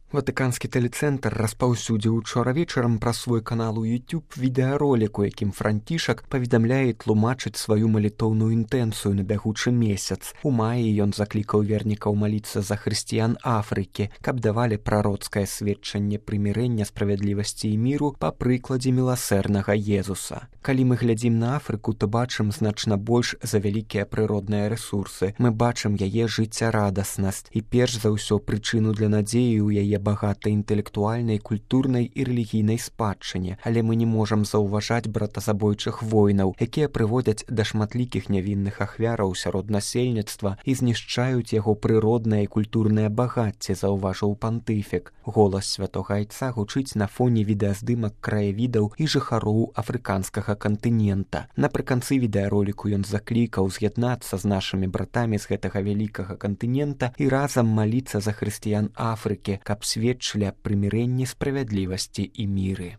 Ватыканскі тэлецэнтр распаўсюдзіў учора вечарам праз свой канал у YouTube відэаролік, у якім Францішак паведамляе і тлумачыць сваю малітоўную інтэнцыю на бягучы месяц. У маі ён заклікаў вернікаў маліцца за хрысціян Афрыкі, каб давалі прароцкае сведчанне прымірэння, справядлівасці і міру па прыкладзе міласэрнага Езуса. Калі мы глядзім на Афрыку, то бачым значна больш за вялікія прыродныя рэсурсы. Мы бачым яе жыццярадаснасць і перш за ўсё прычыну для надзеі ў яе багатай інтэлектуальнай, культурнай і рэлігійнай спадчыне, але мы не можам заўважаць братазабойчых войнаў, якія прыводзяць да шматлікіх нявінных ахвяраў сярод насельніцтва і знішчаюць яго прыроднае і культурнае багацце, заўважыў пантыфік. Голас святога айца гучыць на фоне відэаздымак краявідаў і жыхароў афрыканскага кантынента. Напрыканцы відэароліку ён заклікаў з'яднацца з нашымі братамі з гэтага вялікага кантынента і разам маліцца за хрысціян Афрыкі, каб сведчылі аб прымірэнні, справядлівасці і міры.